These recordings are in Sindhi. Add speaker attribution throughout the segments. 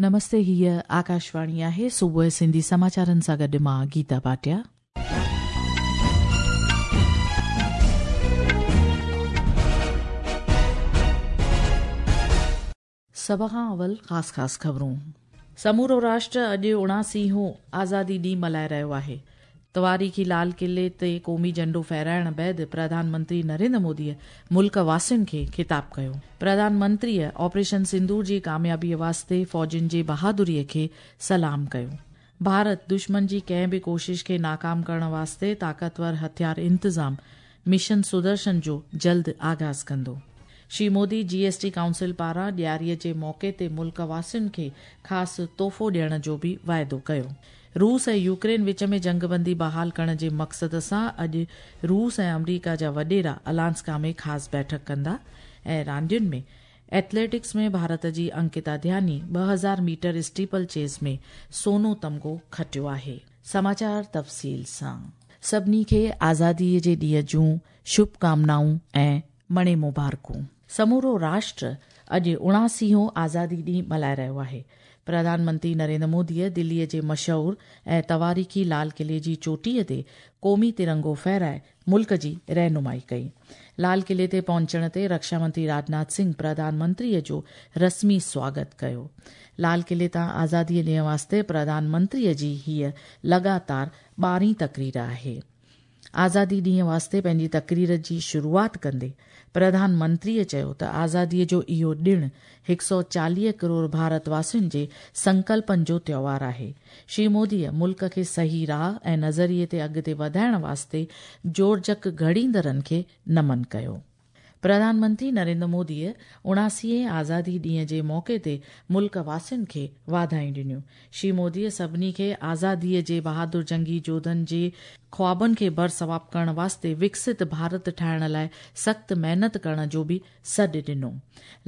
Speaker 1: نمستي هيء آڪاشواڻي آهي صبح سنڌي سماچارن سان گڏ مان گيتا ڀاٽيا. سڀ کان اول خاص خاص خبرون. سمورو راشٽر اڄ 79هون آزادي ڏينهن ملهائي رهيو آهي. تواريخي لال قلعي تي قومي جهنڊو ڦهرائڻ بعد پرڌان منتري نريندر موديء ملڪ واسين کي خطاب ڪيو. پرڌان منتريء آپريشن سندور جي ڪاميابيء واسطي فوجين جي بهادريء کي سلام ڪيو. ڀارت دشمن جي ڪنهن به ڪوشش کي ناڪام ڪرڻ واسطي طاقتور هٿيار انتظام مشن سدرشن جو جلد آغاز ڪندو. Shri Modi G S T council پاران ڏياريء جي موقعي تي ملڪ واسين کي خاص تحفو ڏيڻ جو به واعدو ڪيو. روس ۽ يوڪرين وچ ۾ جنگبندي بحال ڪرڻ جي مقصد سان اڄ روس ۽ آمريڪا جا وڏيرا الاسڪا ۾ خاص بيٺڪ ڪندا ۽ راندين ۾ ايٿليٽڪس ۾ ڀارت جي انڪتا ڌياني 2000 ميٽر اسٽيپل چيز ۾ سونو تمغو کٽيو آهي. سماچار تفصيل سان. سڀني کي آزادي جي ڏينهن جون شڀ ڪامنائون ۽ مڻي مبارڪون. سمورو راشٽر اڄ 79هون آزادي ڏينهن ملهائي رهيو آهي. پرڌان منتري نريندر موديء دليء جي مشهور ۽ تواريخي لال قلعي جي چوٽيء تي قومي ترنگو ڦهرائي ملڪ جي رهنمائي ڪئي. لال قلعي تي پهچڻ تي رڪشا منتري راجناٿ سنگهه پرڌان منتريء جو رسمي سواگت ڪيو. لال قلعي تان آزاديء ڏينهن واسطي پرڌان منتريء جي هيء لڳاتار 12هين تقرير آهي. آزادي ڏينهن واسطي پنهنجي تقرير جي شروعات ڪندي پرڌان منتريء چيو ته آزاديء جو اهو ڏڻ 140 ڪروڙ ڀارت واسين جي سنڪلپن جو تيوهار آهي. شري موديء ملڪ کي صحيح راهه ۽ نظريي تي اڳتي وڌائڻ واسطي جوڙجڪ گهڙيندڙن کي نمن ڪيو. پرڌان منتري نريندر موديء 79هين آزادي ڏينهن جي موقعي تي ملڪ واسين کي واڌايون ڏنيون. شري موديء سڀني کي آزاديء جي بهادر جنگي جوڌن جي خوابن کي برثواب ڪرڻ واسطي وڪست ڀارت ٺاهڻ لاء سخت محنت ڪرڻ جو به سڏ ڏنو.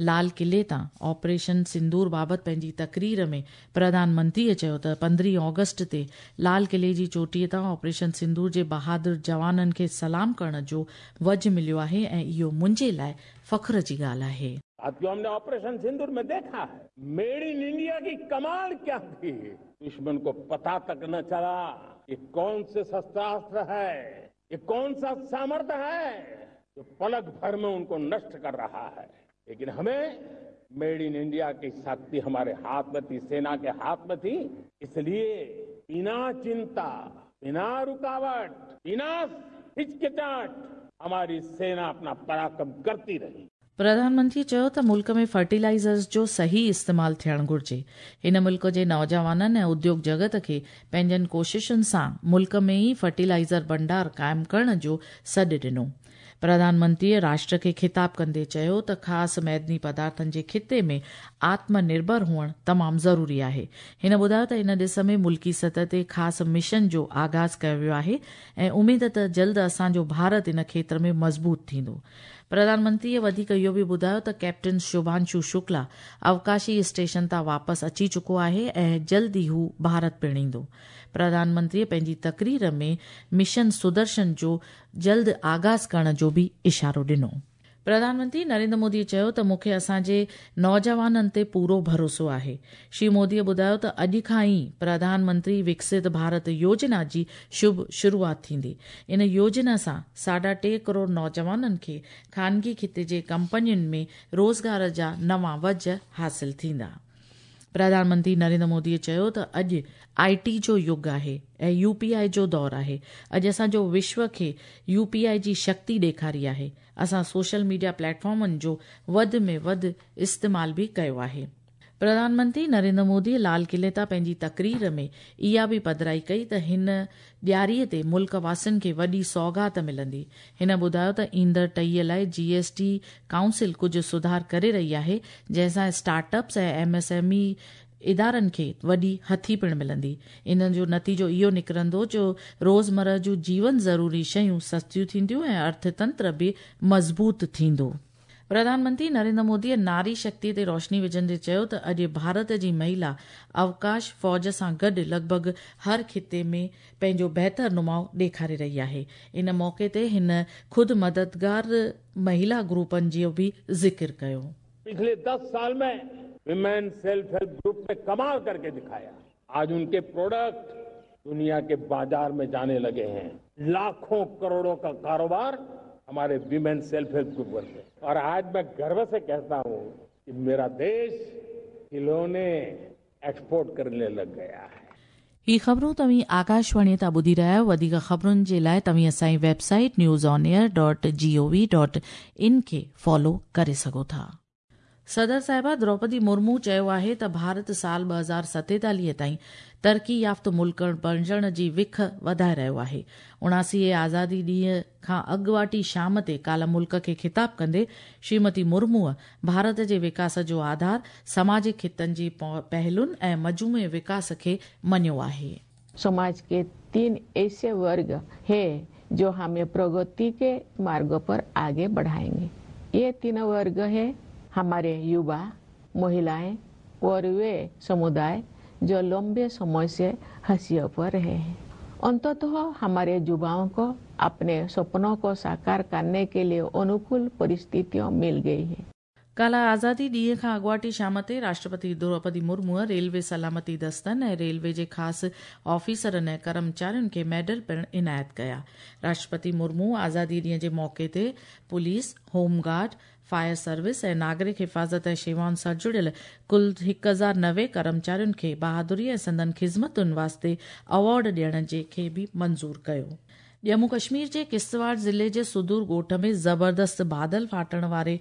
Speaker 1: لال قلعي تان آپريشن سندور بابت پنهنجي تقرير ۾ پرڌان منتريء چيو ته 15 آگسٽ تي لال قلعي جي چوٽيء تان آپريشن سندور جي بهادر جوانن کي سلام ڪرڻ جو وجهه مليو آهي ۽ اهو منهنجي لاء فخر جي ڳالهه آهي.
Speaker 2: ساٿيو هم ني آپريشن سندور ۾ ديکا هي ميڊ ان انڊيا ڪي ڪمال ڪيا ٿي دشمن ڪو پتا تڪ نه چلا ڪي ڪون سي شستراستر هي يي ڪون سا سامرٿ هي جو پلڪ ڀر ۾ ان ڪو نشٽ ڪر رها هي ليڪن همين ميڊ ان انڊيا ڪي شڪتي هماري هاٿ ۾ ٿي سينا ڪي هاٿ ۾ ٿي اس ليي بنا چنتا بنا رڪاوٽ بنا هچڪچاهٽ هماري سينا اپنا پراڪرم ڪرتي رهي.
Speaker 1: پرڌان منتري چيو ته ملڪ ۾ فرٽيلائيزرز جو صحيح استعمال ٿيڻ گهرجي. هن ملڪ جي نوجوانن ۽ اديوگ جڳت کي پنهنجن ڪوششن سان ملڪ ۾ ئي فرٽيلائيزر ڀنڊار قائم ڪرڻ جو سڏ ڏنو. پرڌان منتريء راشٽر کي خطاب ڪندي چيو ته خاص معدني پدارٿن جي خطي ۾ آتم نرڀر هئڻ تمام ضروري آهي. هن ٻڌايو ته ان ڏس ۾ ملڪي سطح تي خاص مشن جو آغاز ڪيو ويو آهي ۽ اميد ته جلد اسان جو ڀارت ان کيتر ۾ مضبوط ٿيندو. پرڌان منتريء وڌيڪ اهو به ٻڌايو ته ڪئپٽن شڀانشو شڪلا اوڪاشي اسٽيشن تان واپس اچي چڪو آهي ۽ جلد ئي هو ڀارت پڻ ايندو. پرڌان منتريء پنهنجي تقرير ۾ مشن سدرشن جو جلد آغاز ڪرڻ جو به اشارو ڏنو. پرڌان منتري نريندر مودي چيو ته مون کي اسان جي نوجوانن تي پورو ڀروسو آهي. شري مودي ٻڌايو ته اڄ کان ئي پرڌان منتري وڪست ڀارت يوجنا جي شڀ شروعات ٿيندي. ان يوجنا سان 3.5 ڪروڙ نوجوانن کي خانگي خطي جي ڪمپنين ۾ روزگار جا نوان وجهه حاصل ٿيندا. پرڌان منتري نريندر مودي چيو ته اڄ آء ٽي جو يگ آهي ۽ يو پي آء جو دور آهي، اڄ اسان جو وشو کي يو پي آء جي شڪتي ڏيکاري آهي، اسان سوشل ميڊيا پليٽ فارمن جو وڌ ۾ وڌ استعمال به ڪيو آهي. پرڌان منتري نريندر مودي لال قلعي تان پنهنجي تقرير ۾ اها به پڌرائي ڪئي ته هن ڏياري تي ملڪ واسين کي وڏي سوغات ملندي. هن ٻڌايو ته ايندڙ ٽهيء لاء جي ايس ٽي ڪائونسل ڪجهه سڌار ڪري رهي آهي، جنهن سان start ups ۽ M S M A ادارن کي وڏي هٿي پڻ ملندي. ان جو نتيجو اهو نڪرندو جو روزمرهه جون جيون ضروري شيون سستيون ٿينديون ۽ ارٿتنتر به مضبوط ٿيندو. پرڌان منتري نريندر موديء ناري شڪتيء تي روشني وجهندي چيو ته اڄ ڀارت جي مهيلا اوڪاش فوج سان گڏ لڳ ڀڳ هر خطي ۾ پنهنجو بهتر نماء ڏيکاري رهي آهي. ان موقعي تي هن خود مددگار مهيلا گروپن جو به ذڪر ڪيو.
Speaker 2: پڇلي 10 سال ۾ विमेन सेल्फ हेल्प ग्रुप ने कमाल करके दिखाया। आज उनके प्रोडक्ट दुनिया के बाजार में जाने लगे हैं। लाखों करोड़ों का कारोबार हमारे विमेन सेल्फ हेल्प ग्रुप से। और आज मैं गर्व से कहता हूं कि मेरा देश खिलौने एक्सपोर्ट करने लग गया है।
Speaker 1: ही ख़बरूं तव्हीं आकाशवाणी तां ॿुधी रहिया आहियो। वधीक ख़बरुनि जे लाइ तव्हीं असांजी website newsonair.gov.in खे फॉलो करे सघो था। सदर साहिबा द्रौपदी मुर्मू चयो आहे त भारत साल 2047 ताईं तरक़ी याफ़्त मुल्क बणिजण जी विख वधाए रहियो आहे। 79 आज़ादी ॾींहं खां अॻवाटी शाम ते काल्ह मुल्क खे ख़िताब कंदे श्रीमती मुर्मूअ भारत जे विकास जो आधार समाजिक ख़ितनि जी पहलुनि ऐं मजमूई विकास खे मञियो आहे।
Speaker 3: समाज के 3 ऐसे वर्ग है जो हमें प्रगति के मार्ग पर आगे बढ़ाएंगे। ये 3 वर्ग है हमारे युवा, महिलाएं और वे समुदाय जो लंबे समय से हाशिए पर रहे हैं। अंततः हमारे युवाओं को अपने सपनों को साकार करने के लिए अनुकूल परिस्थितियां मिल गई है।
Speaker 1: काल्ह आज़ादी ॾींहं खां अॻवाटी शाम ते राष्ट्रपति द्रौपदी मुर्मूअ रेलवे सलामती दस्तनि ऐं रेलवे जे ख़ासि ऑफिसरनि ऐं कर्मचारियुनि खे मेडल पिणु इनायत कया। राष्ट्रपति मुर्मू आज़ादी ॾींहं जे मौक़े ते police, home guard, fire service ऐं नागरिक हिफ़ाज़त ऐं शेवाउनि सां जुड़ियल कुल 1090 कर्मचारियुनि खे बहादुरी ऐं संदन ख़िज़मतुनि वास्ते अवॉर्ड ॾियण जे खे बि मंज़ूर कयो। जम्मू कश्मीर जे किश्तवाड़ ज़िले जे सुदूर ॻोठ में ज़बरदस्त बादल फाटण वारे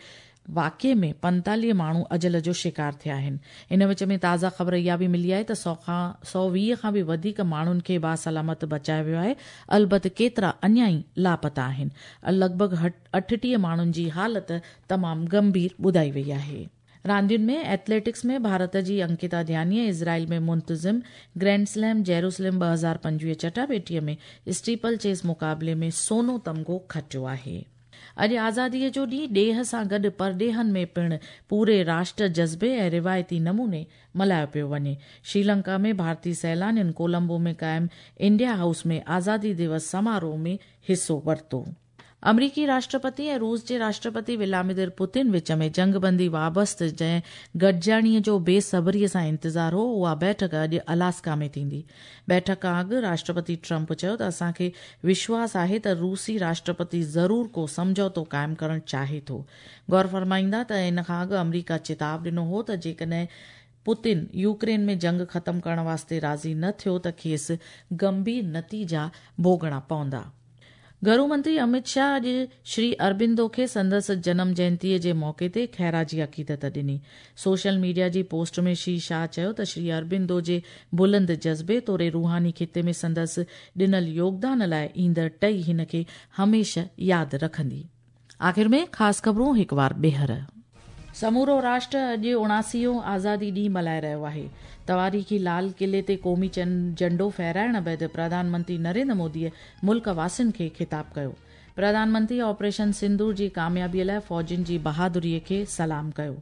Speaker 1: वाक़े में 45 माण्हू अजल जो शिकार थिया आहिनि। इन विच में ताज़ा ख़बर इहा बि मिली आहे त 120 खां बि वधीक माण्हुनि खे बासलामत बचायो वियो आहे, अलबत केतिरा अञा ई लापता आहिनि। लॻभॻि 38 माण्हुनि जी हालत तमामु गंभीर ॿुधाई वई आहे। रांदियुनि में एथलेटिक्स में भारत जी अंकिता ध्यानीअ इज़राइल में मुंतज़िम ग्रैंड स्लैम जेरूसलम 2025 चटाबेटीअ में स्टीपल चेस मुक़ाबले में सोनो तमगो खटियो आहे। अॼु आज़ादीअ जो ॾींहुं ॾेह सां गॾु परॾेहनि में पिणु पूरे राष्ट्र जज़्बे ऐं रिवायती नमूने मल्हायो पियो वञे। श्रीलंका में भारतीय सैलानियुनि कोलंबो में क़ाइम इंडिया हाउस में आज़ादी दिवस समारोह में हिसो वरितो। अमरीकी राष्ट्रपति ऐं रूस जे राष्ट्रपति व्लादिमीर पुतिन विच में जंगबंदी वाबस्त जंहिं गॾिजाणीअ जो बेसब्रीअ सां इंतज़ार हो, उहा बैठक अॼु अलास्का में थींदी। बैठक खां अॻु राष्ट्रपति ट्रंप चयो त असांखे विश्वास आहे त रूसी राष्ट्रपति ज़रूर को सम्झौतो क़ाइमु करणु चाहे थो। गौर फरमाईंदा त इन खां अॻु अमरीका चिताव ॾिनो हो त जेकॾहिं पुतिन यूक्रेन में जंग ख़तमु करण वास्ते राज़ी न थियो त खेसि गंभीर नतीजा भोगणा पवंदा। घरू मंत्री अमित शाह अॼु श्री अरबिंदो खे संदसि जनम जयंतीअ जे मौक़े ते ख़ैराजी अक़ीदत ॾिनी। सोशल मीडिया जी पोस्ट में श्री शाह चयो त श्री अरबिंदो जे बुलंद जज़्बे तोड़े रूहानी ख़िते में संदसि ॾिनल योगदान लाइ ईंदड़ टही हिन खे हमेशह यादि रखंदी। आख़िर में ख़ासि ख़बरूं हिकु वार ॿीहर। समूरो राष्ट्र अॼु 79 आज़ादी ॾींहुं मल्हाए रहियो आहे। तवारीख़ी लाल क़िले ते क़ौमी झंडो फहराइण बाद प्रधानमंत्री नरेंद्र मोदीअ मुल्क वासियुनि खे ख़िताब कयो। प्रधानमंत्री ऑपरेशन सिंदूर जी कामयाबीअ लाइ फ़ौजियुनि जी बहादुरीअ खे सलाम कयो।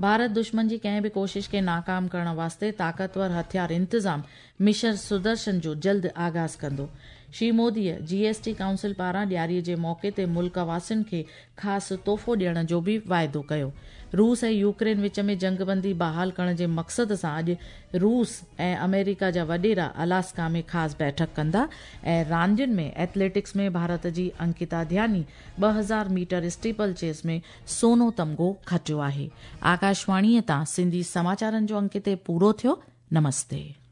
Speaker 1: भारत दुश्मन जी कंहिं बि कोशिश खे नाकाम करण वास्ते ताक़तवर हथियार इंतज़ाम मिशन सुदर्शन जो जल्द आगाज़ कंदो। श्री मोदीअ जीएसटी काउंसिल पारां ॾियारीअ जे मौक़े ते मुल्क वासियुनि खे ख़ासि तोहफ़ो ॾियण जो बि वाइदो कयो। रूस ऐं यूक्रेन विच में जंगबंदी बहाल करण जे मक़सद सां अॼु रूस ऐं अमेरिका जा वॾेरा अलास्का में ख़ासि बैठक कंदा। ऐं रांदियुनि में एथलेटिक्स में भारत जी अंकिता ध्यानी 2000 मीटर स्टीपल चेस में सोनो तमगो खटियो आहे। आकाशवाणीअ तां सिंधी समाचारनि जो अंक हिते पूरो थियो। नमस्ते।